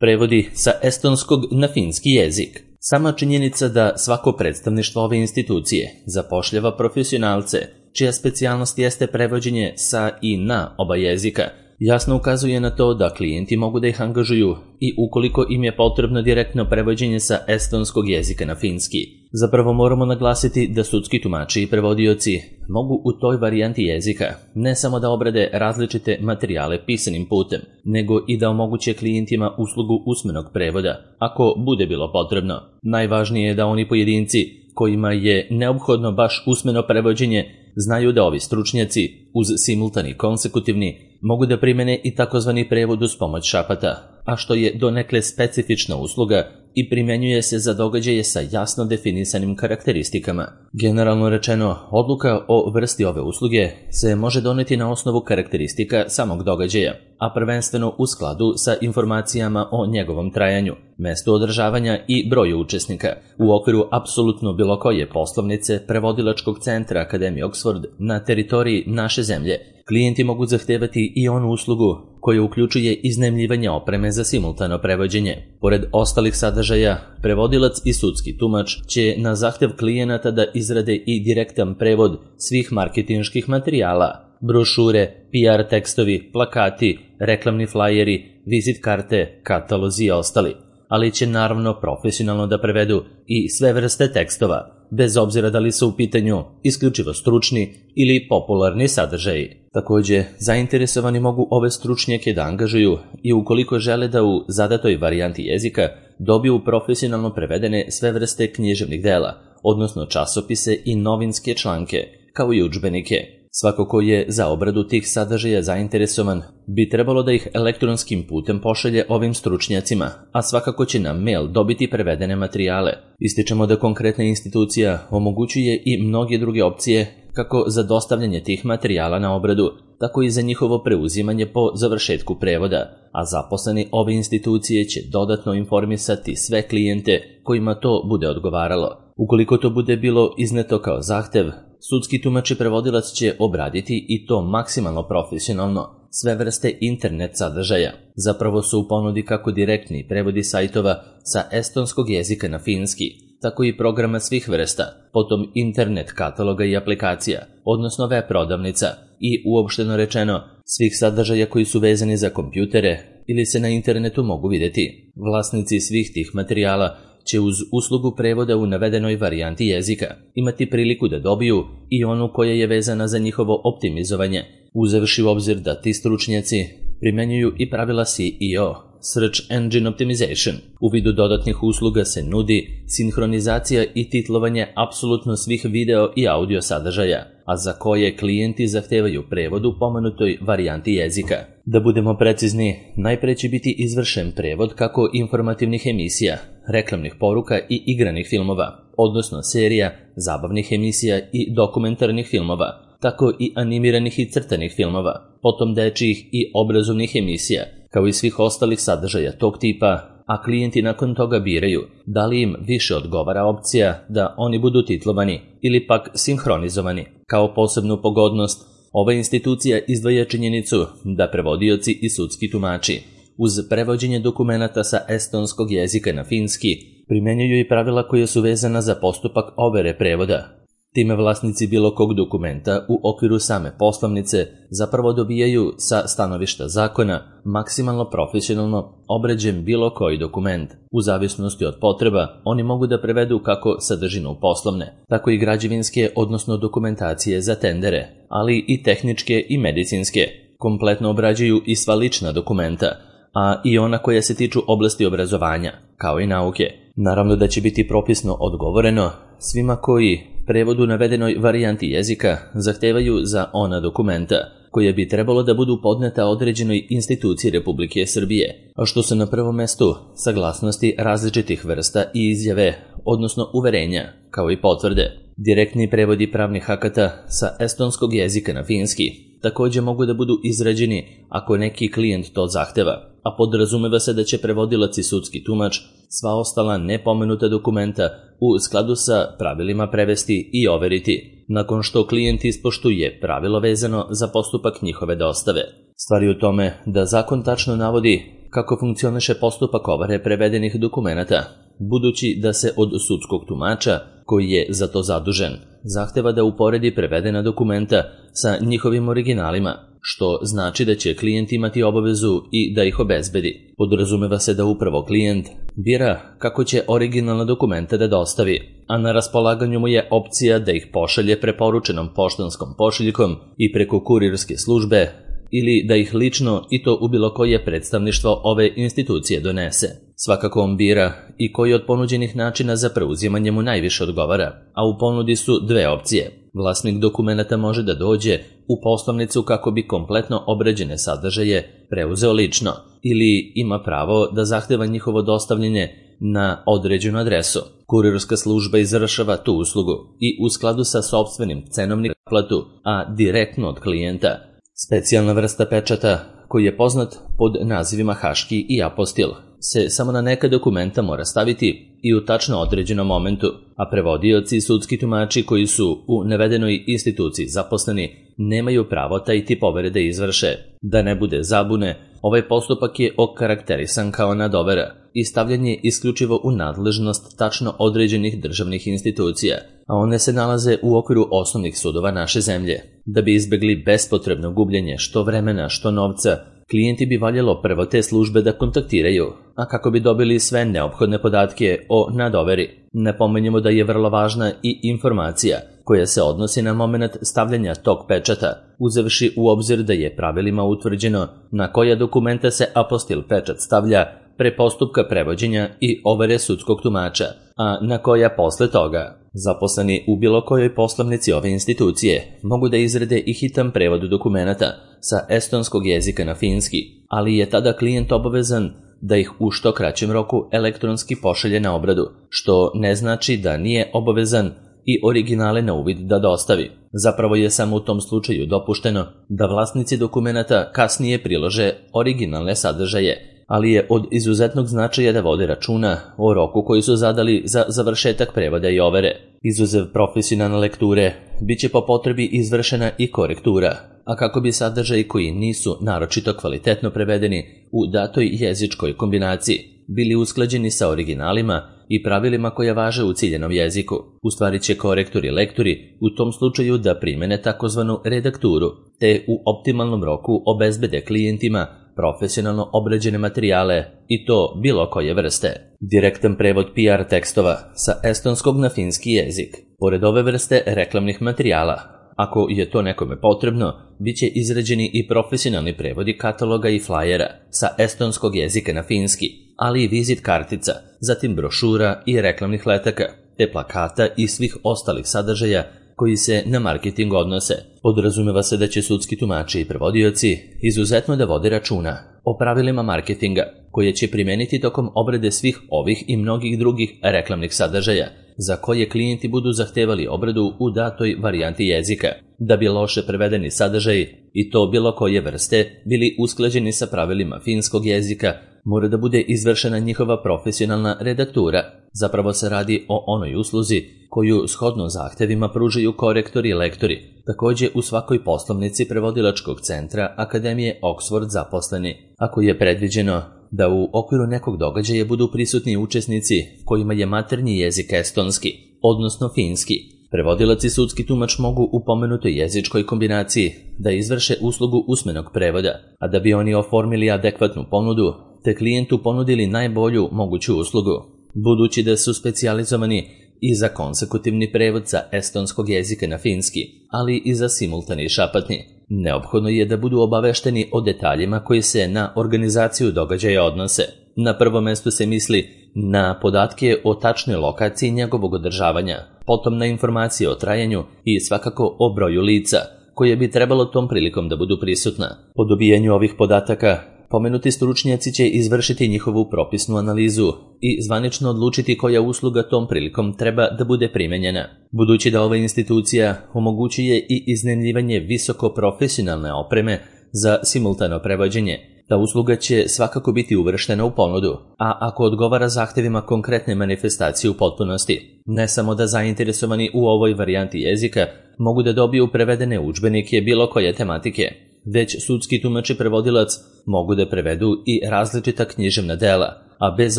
Prevodi sa estonskog na finski jezik. Sama činjenica da svako predstavništvo ove institucije zapošljava profesionalce, čija specijalnost jeste prevođenje sa i na oba jezika, jasno ukazuje na to da klijenti mogu da ih angažuju i ukoliko im je potrebno direktno prevođenje sa estonskog jezika na finski. Zapravo moramo naglasiti da sudski tumači i prevodioci mogu u toj varijanti jezika ne samo da obrade različite materijale pisanim putem, nego i da omoguće klijentima uslugu usmenog prevoda, ako bude bilo potrebno. Najvažnije je da oni pojedinci kojima je neophodno baš usmeno prevođenje znaju da ovi stručnjaci uz simultani konsekutivni mogu da primene i takozvani prevod uz pomoć šapata, a što je donekle specifična usluga i primjenjuje se za događaje sa jasno definisanim karakteristikama. Generalno rečeno, odluka o vrsti ove usluge se može doneti na osnovu karakteristika samog događaja, a prvenstveno u skladu sa informacijama o njegovom trajanju, mestu održavanja i broju učesnika. U okviru apsolutno bilo koje poslovnice prevodilačkog centra Akademije Oxford na teritoriji naše zemlje, klijenti mogu zahtevati i onu uslugu koja uključuje iznajmljivanje opreme za simultano prevođenje. Pored ostalih sadržaja, prevodilac i sudski tumač će na zahtev klijenata da izrade i direktan prevod svih marketinških materijala, brošure, PR tekstovi, plakati, reklamni flajeri, vizit karte, katalozi i ostali, ali će naravno profesionalno da prevedu i sve vrste tekstova, bez obzira da li su u pitanju isključivo stručni ili popularni sadržaji. Takođe, zainteresovani mogu ove stručnjake da angažuju i ukoliko žele da u zadatoj varijanti jezika dobiju profesionalno prevedene sve vrste književnih dela, odnosno časopise i novinske članke, kao i udžbenike. Svako ko je za obradu tih sadržaja zainteresovan bi trebalo da ih elektronskim putem pošalje ovim stručnjacima, a svakako će na mail dobiti prevedene materijale. Ističemo da konkretna institucija omogućuje i mnoge druge opcije kako za dostavljanje tih materijala na obradu, tako i za njihovo preuzimanje po završetku prevoda, a zaposleni ove institucije će dodatno informisati sve klijente kojima to bude odgovaralo. Ukoliko to bude bilo izneto kao zahtev, sudski tumač i prevodilac će obraditi i to maksimalno profesionalno sve vrste internet sadržaja. Zapravo su u ponudi kako direktni prevodi sajtova sa estonskog jezika na finski, tako i programa svih vrsta, potom internet kataloga i aplikacija, odnosno web prodavnica i uopšteno rečeno svih sadržaja koji su vezani za kompjutere ili se na internetu mogu vidjeti. Vlasnici svih tih materijala će uz uslugu prevoda u navedenoj varijanti jezika imati priliku da dobiju i onu koja je vezana za njihovo optimizovanje, uzevši u obzir da ti stručnjaci primjenjuju i pravila SEO, Search Engine Optimization. U vidu dodatnih usluga se nudi sinhronizacija i titlovanje apsolutno svih video i audio sadržaja, a za koje klijenti zahtevaju prevod u pomenutoj varijanti jezika. Da budemo precizni, najpre će biti izvršen prevod kako informativnih emisija, reklamnih poruka i igranih filmova, odnosno serija, zabavnih emisija i dokumentarnih filmova, tako i animiranih i crtanih filmova, potom dečijih i obrazovnih emisija, kao i svih ostalih sadržaja tog tipa, a klijenti nakon toga biraju da li im više odgovara opcija da oni budu titlovani ili pak sinhronizovani. Kao posebnu pogodnost, ova institucija izdvaja činjenicu da prevodioci i sudski tumači uz prevođenje dokumenata sa estonskog jezika na finski primjenjuju i pravila koja su vezana za postupak overe prevoda. Time vlasnici bilo kog dokumenta u okviru same poslovnice zapravo dobijaju sa stanovišta zakona maksimalno profesionalno obrađen bilo koji dokument. U zavisnosti od potreba, oni mogu da prevedu kako sadržinu poslovne, tako i građevinske, odnosno dokumentacije za tendere, ali i tehničke i medicinske. Kompletno obrađuju i sva lična dokumenta, a i ona koja se tiču oblasti obrazovanja, kao i nauke. Naravno da će biti propisno odgovoreno svima koji prevod u navedenoj varijanti jezika zahtevaju za ona dokumenta, koje bi trebalo da budu podneta određenoj instituciji Republike Srbije, a što su na prvom mestu saglasnosti različitih vrsta i izjave, odnosno uverenja, kao i potvrde. Direktni prevodi pravnih akata sa estonskog jezika na finski takođe mogu da budu izrađeni ako neki klijent to zahteva, a podrazumeva se da će prevodilac i sudski tumač sva ostala nepomenuta dokumenta u skladu sa pravilima prevesti i overiti, nakon što klijent ispoštuje pravilo vezano za postupak njihove dostave. Stvar je u tome da zakon tačno navodi kako funkcioniše postupak overe prevedenih dokumenata, budući da se od sudskog tumača, koji je za to zadužen, zahteva da uporedi prevedena dokumenta sa njihovim originalima, što znači da će klijent imati obavezu i da ih obezbedi. Podrazumeva se da upravo klijent bira kako će originalna dokumenta da dostavi, a na raspolaganju mu je opcija da ih pošalje preporučenom poštanskom pošiljkom i preko kurirske službe, ili da ih lično i to u bilo koje predstavništvo ove institucije donese. Svakako on bira i koji od ponuđenih načina za preuzimanje mu najviše odgovara, a u ponudi su dve opcije. Vlasnik dokumenata može da dođe u poslovnicu kako bi kompletno obrađene sadržaje preuzeo lično, ili ima pravo da zahteva njihovo dostavljanje na određenu adresu. Kurirska služba izvršava tu uslugu i u skladu sa sopstvenim cenovnim platu, a direktno od klijenta. Specijalna vrsta pečata, koji je poznat pod nazivima haški i apostil, se samo na neka dokumenta mora staviti i u tačno određenom momentu, a prevodioci i sudski tumači koji su u navedenoj instituciji zaposleni nemaju pravo taj tip overe da izvrše. Da ne bude zabune, ovaj postupak je okarakterisan kao nadovera i stavljanje isključivo u nadležnost tačno određenih državnih institucija, a one se nalaze u okviru osnovnih sudova naše zemlje. Da bi izbegli bespotrebno gubljenje što vremena, što novca, klijenti bi valjalo prvo te službe da kontaktiraju, a kako bi dobili sve neophodne podatke o nadoveri. Napomenjemo da je vrlo važna i informacija koja se odnosi na moment stavljanja tog pečata, uzevši u obzir da je pravilima utvrđeno na koja dokumenta se apostil pečat stavlja pre postupka prevođenja i overe sudskog tumača, a na koja posle toga. Zaposleni u bilo kojoj poslovnici ove institucije mogu da izrede i hitan prevod dokumenata sa estonskog jezika na finski, ali je tada klijent obavezan da ih u što kraćem roku elektronski pošalje na obradu, što ne znači da nije obavezan i originale na uvid da dostavi. Zapravo je samo u tom slučaju dopušteno da vlasnici dokumenata kasnije prilože originalne sadržaje, ali je od izuzetnog značaja da vode računa o roku koji su zadali za završetak prevoda i overe. Izuzev profesionalne lekture, bit će po potrebi izvršena i korektura, a kako bi sadržaji koji nisu naročito kvalitetno prevedeni u datoj jezičkoj kombinaciji bili usklađeni sa originalima i pravilima koja važe u ciljenom jeziku, ustvari će korektori i lektori u tom slučaju da primene takozvanu redakturu, te u optimalnom roku obezbede klijentima profesionalno obrađene materijale i to bilo koje vrste. Direktan prevod PR tekstova sa estonskog na finski jezik. Pored ove vrste reklamnih materijala, ako je to nekome potrebno, bit će izrađeni i profesionalni prevodi kataloga i flajera sa estonskog jezika na finski, ali i vizit kartica, zatim brošura i reklamnih letaka, te plakata i svih ostalih sadržaja koji se na marketing odnose. Podrazumeva se da će sudski tumači i prevodioci izuzetno da vode računa o pravilima marketinga, koje će primeniti tokom obrade svih ovih i mnogih drugih reklamnih sadržaja, za koje klijenti budu zahtevali obradu u datoj varijanti jezika, da bi loše prevedeni sadržaji, i to bilo koje vrste, bili usklađeni sa pravilima finskog jezika, mora da bude izvršena njihova profesionalna redaktura. Zapravo se radi o onoj usluzi koju shodno zahtevima pružaju korektori i lektori, takođe u svakoj poslovnici prevodilačkog centra Akademije Oxford zaposleni, ako je predviđeno da u okviru nekog događaja budu prisutni učesnici kojima je maternji jezik estonski, odnosno finski. Prevodilac i sudski tumač mogu u pomenutoj jezičkoj kombinaciji da izvrše uslugu usmenog prevoda, a da bi oni oformili adekvatnu ponudu, te klijentu ponudili najbolju moguću uslugu. Budući da su specijalizovani i za konsekutivni prevod sa estonskog jezika na finski, ali i za simultani šapatni, neophodno je da budu obavešteni o detaljima koji se na organizaciju događaja odnose. Na prvo mesto se misli na podatke o tačnoj lokaciji njegovog održavanja, potom na informacije o trajanju i svakako o broju lica, koje bi trebalo tom prilikom da budu prisutna. Po dobijanju ovih podataka, pomenuti stručnjaci će izvršiti njihovu propisnu analizu i zvanično odlučiti koja usluga tom prilikom treba da bude primenjena. Budući da ova institucija omogućuje i iznajmljivanje visoko profesionalne opreme za simultano prevođenje, ta usluga će svakako biti uvrštena u ponudu, a ako odgovara zahtevima konkretne manifestacije u potpunosti, ne samo da zainteresovani u ovoj varijanti jezika mogu da dobiju prevedene udžbenike bilo koje tematike, već sudski tumač i prevodilac mogu da prevedu i različita književna dela, a bez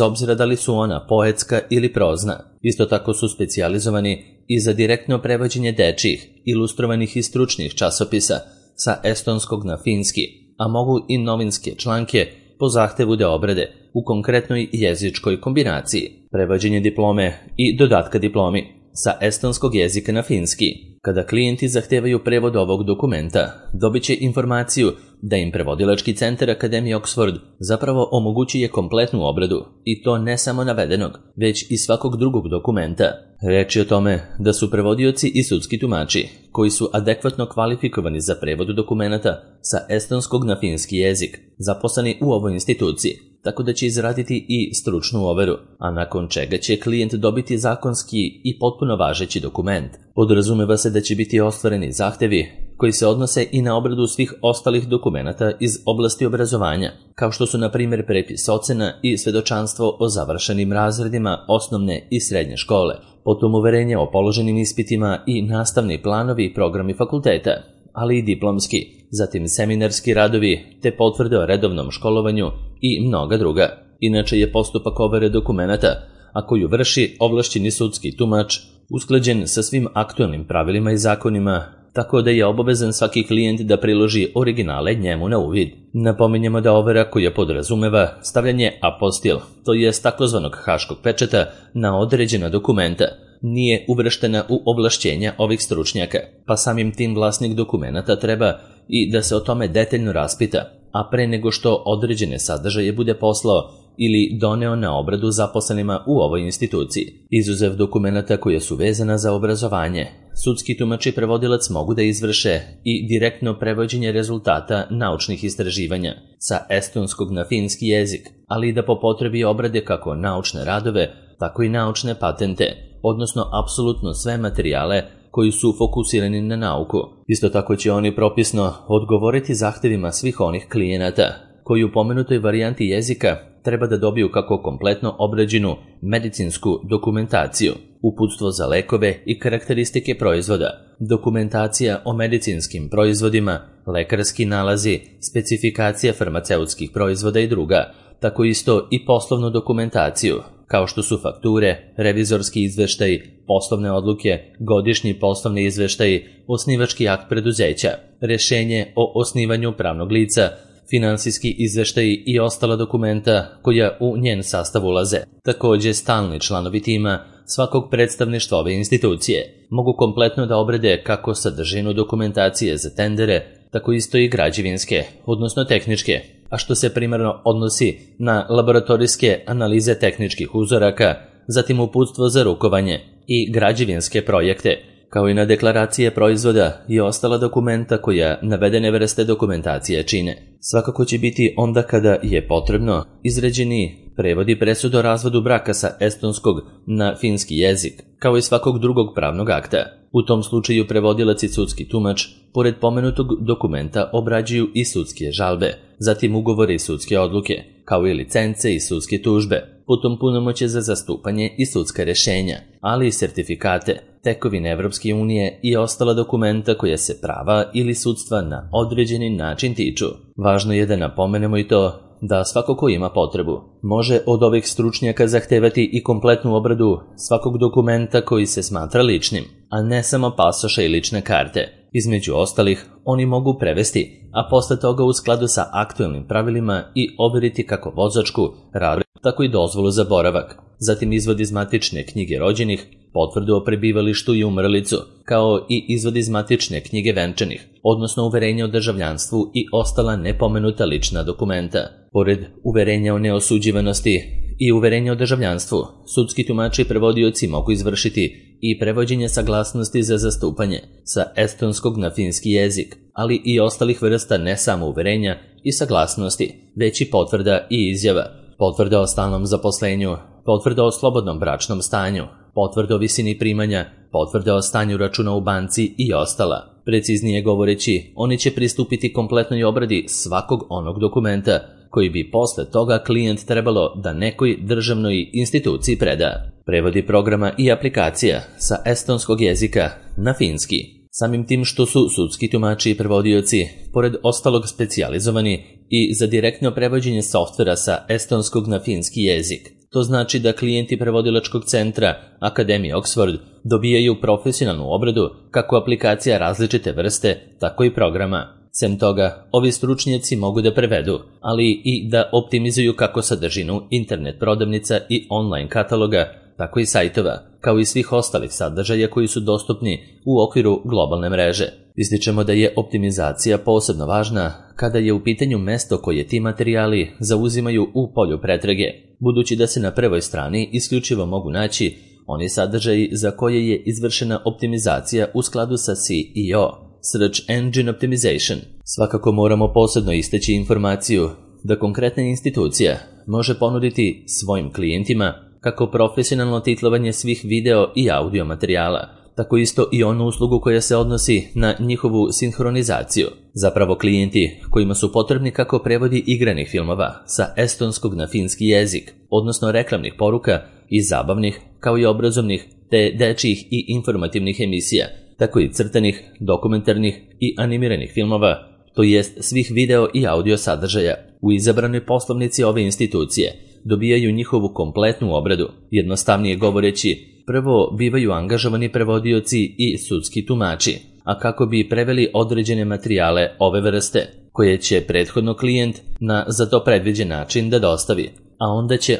obzira da li su ona poetska ili prozna. Isto tako su specijalizovani i za direktno prevođenje dečjih, ilustrovanih i stručnih časopisa sa estonskog na finski, a mogu i novinske članke po zahtevu da obrade u konkretnoj jezičkoj kombinaciji, prevođenje diplome i dodatka diplomi sa estonskog jezika na finski. Kada klijenti zahtevaju prevod ovog dokumenta, dobit će informaciju da im prevodilački centar Akademije Oxford zapravo omogućuje kompletnu obradu, i to ne samo navedenog, već i svakog drugog dokumenta. Reč je o tome da su prevodioci i sudski tumači, koji su adekvatno kvalifikovani za prevod dokumenta sa estonskog na finski jezik, zaposleni u ovoj instituciji, tako da će izraditi i stručnu overu, a nakon čega će klijent dobiti zakonski i potpuno važeći dokument. Podrazumeva se da će biti ostvareni zahtevi koji se odnose i na obradu svih ostalih dokumenata iz oblasti obrazovanja, kao što su na primjer prepis ocena i svedočanstvo o završenim razredima osnovne i srednje škole, potom uverenje o položenim ispitima i nastavni planovi i programi fakulteta, ali i diplomski, zatim seminarski radovi te potvrde o redovnom školovanju i mnoga druga. Inače je postupak overe dokumenata, a koju vrši ovlašćeni sudski tumač, usklađen sa svim aktualnim pravilima i zakonima, tako da je obavezan svaki klijent da priloži originale njemu na uvid. Napominjemo da overa koja podrazumeva stavljanje apostil, to jest takozvanog haškog pečata, na određena dokumenta, nije uvrštena u ovlašćenja ovih stručnjaka, pa samim tim vlasnik dokumenata treba i da se o tome detaljno raspita, a pre nego što određene sadržaje bude poslao ili doneo na obradu zaposlenima u ovoj instituciji. Izuzev dokumenata koje su vezana za obrazovanje, sudski tumač i prevodilac mogu da izvrše i direktno prevođenje rezultata naučnih istraživanja sa estonskog na finski jezik, ali i da po potrebi obrade kako naučne radove, tako i naučne patente, odnosno apsolutno sve materijale koji su fokusirani na nauku. Isto tako će oni propisno odgovoriti zahtevima svih onih klijenata koji u pomenutoj varijanti jezika treba da dobiju kako kompletno obrađenu medicinsku dokumentaciju, uputstvo za lekove i karakteristike proizvoda, dokumentacija o medicinskim proizvodima, lekarski nalazi, specifikacija farmaceutskih proizvoda i druga, tako isto i poslovnu dokumentaciju, kao što su fakture, revizorski izveštaji, poslovne odluke, godišnji poslovni izveštaji, osnivački akt preduzeća, rešenje o osnivanju pravnog lica, finansijski izveštaji i ostala dokumenta koja u njen sastav ulaze. Također, stalni članovi tima svakog predstavništva ove institucije mogu kompletno da obrade kako sadržinu dokumentacije za tendere, tako isto i građevinske, odnosno tehničke, a što se primarno odnosi na laboratorijske analize tehničkih uzoraka, zatim uputstvo za rukovanje i građevinske projekte, kao i na deklaracije proizvoda i ostala dokumenta koja navedene vrste dokumentacije čine. Svakako će biti onda kada je potrebno izrađeni prevodi presude o razvodu braka sa estonskog na finski jezik, kao i svakog drugog pravnog akta. U tom slučaju prevodilac i sudski tumač, pored pomenutog dokumenta, obrađuju i sudske žalbe, zatim ugovore i sudske odluke, kao i licence i sudske tužbe, potom punomoćje za zastupanje i sudska rešenja, ali i sertifikate, tekovine Evropske unije i ostala dokumenta koja se prava ili sudstva na određeni način tiču. Važno je da napomenemo i to da svako ko ima potrebu može od ovih stručnjaka zahtevati i kompletnu obradu svakog dokumenta koji se smatra ličnim, a ne samo pasoša i lične karte. Između ostalih, oni mogu prevesti, a posle toga u skladu sa aktualnim pravilima i overiti kako vozačku, radnu, tako i dozvolu za boravak. Zatim izvod iz matične knjige rođenih, potvrdu o prebivalištu i umrlicu, kao i izvod iz matične knjige venčanih, odnosno uverenje o državljanstvu i ostala nepomenuta lična dokumenta. Pored uverenja o neosuđivanosti i uverenja o državljanstvu, sudski tumači i prevodioci mogu izvršiti i prevođenje saglasnosti za zastupanje sa estonskog na finski jezik, ali i ostalih vrsta ne samo uverenja i saglasnosti, već i potvrda i izjava, potvrda o stalnom zaposlenju, potvrda o slobodnom bračnom stanju, potvrda o visini primanja, potvrda o stanju računa u banci i ostala. Preciznije govoreći, oni će pristupiti kompletnoj obradi svakog onog dokumenta koji bi posle toga klijent trebalo da nekoj državnoj instituciji preda. Prevodi programa i aplikacija sa estonskog jezika na finski. Samim tim što su sudski tumači i prevodioci, pored ostalog specijalizovani i za direktno prevođenje softvera sa estonskog na finski jezik. To znači da klijenti prevodilačkog centra Akademije Oxford dobijaju profesionalnu obradu kako aplikacija različite vrste, tako i programa. Sem toga, ovi stručnjaci mogu da prevedu, ali i da optimizuju kako sadržinu internet prodavnica i online kataloga, tako i sajtova, kao i svih ostalih sadržaja koji su dostupni u okviru globalne mreže. Ističemo da je optimizacija posebno važna kada je u pitanju mesto koje ti materijali zauzimaju u polju pretrage, budući da se na prvoj strani isključivo mogu naći oni sadržaji za koje je izvršena optimizacija u skladu sa SEO, Search Engine Optimization. Svakako moramo posebno istaći informaciju da konkretna institucija može ponuditi svojim klijentima kako profesionalno titlovanje svih video i audio materijala, tako isto i onu uslugu koja se odnosi na njihovu sinhronizaciju. Zapravo klijenti kojima su potrebni kako prevodi igranih filmova sa estonskog na finski jezik, odnosno reklamnih poruka i zabavnih, kao i obrazovnih te dečjih i informativnih emisija, tako i crtanih, dokumentarnih i animiranih filmova, to jest svih video i audio sadržaja u izabranoj poslovnici ove institucije, dobijaju njihovu kompletnu obradu. Jednostavnije govoreći, prvo bivaju angažovani prevodioci i sudski tumači, a kako bi preveli određene materijale ove vrste, koje će prethodno klijent na za to predviđen način da dostavi, a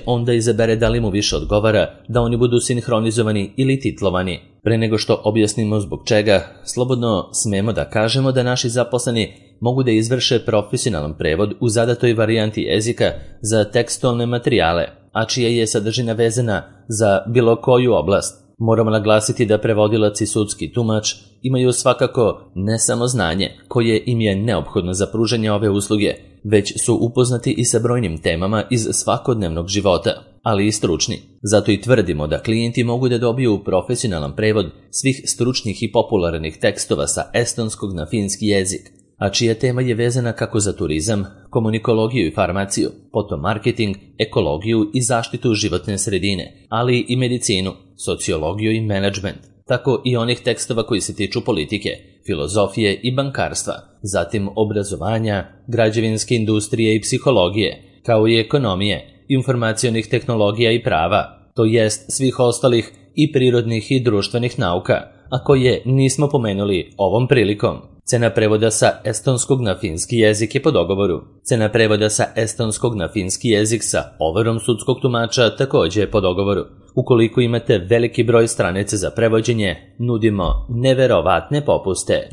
onda izabere da li mu više odgovara da oni budu sinhronizovani ili titlovani. Pre nego što objasnimo zbog čega, slobodno smemo da kažemo da naši zaposleni mogu da izvrše profesionalan prevod u zadatoj varijanti jezika za tekstualne materijale, a čija je sadržina vezana za bilo koju oblast. Moramo naglasiti da prevodilac i sudski tumač imaju svakako ne samo znanje koje im je neophodno za pružanje ove usluge, već su upoznati i sa brojnim temama iz svakodnevnog života, ali i stručni. Zato i tvrdimo da klijenti mogu da dobiju profesionalan prevod svih stručnih i popularnih tekstova sa estonskog na finski jezik, a čija tema je vezana kako za turizam, komunikologiju i farmaciju, potom marketing, ekologiju i zaštitu životne sredine, ali i medicinu, sociologiju i menadžment, tako i onih tekstova koji se tiču politike, filozofije i bankarstva, zatim obrazovanja, građevinske industrije i psihologije, kao i ekonomije, informacionih tehnologija i prava, to jest svih ostalih i prirodnih i društvenih nauka, a koje nismo pomenuli ovom prilikom. Cena prevoda sa estonskog na finski jezik je po dogovoru. Cena prevoda sa estonskog na finski jezik sa overom sudskog tumača takođe je po dogovoru. Ukoliko imate veliki broj stranica za prevođenje, nudimo neverovatne popuste.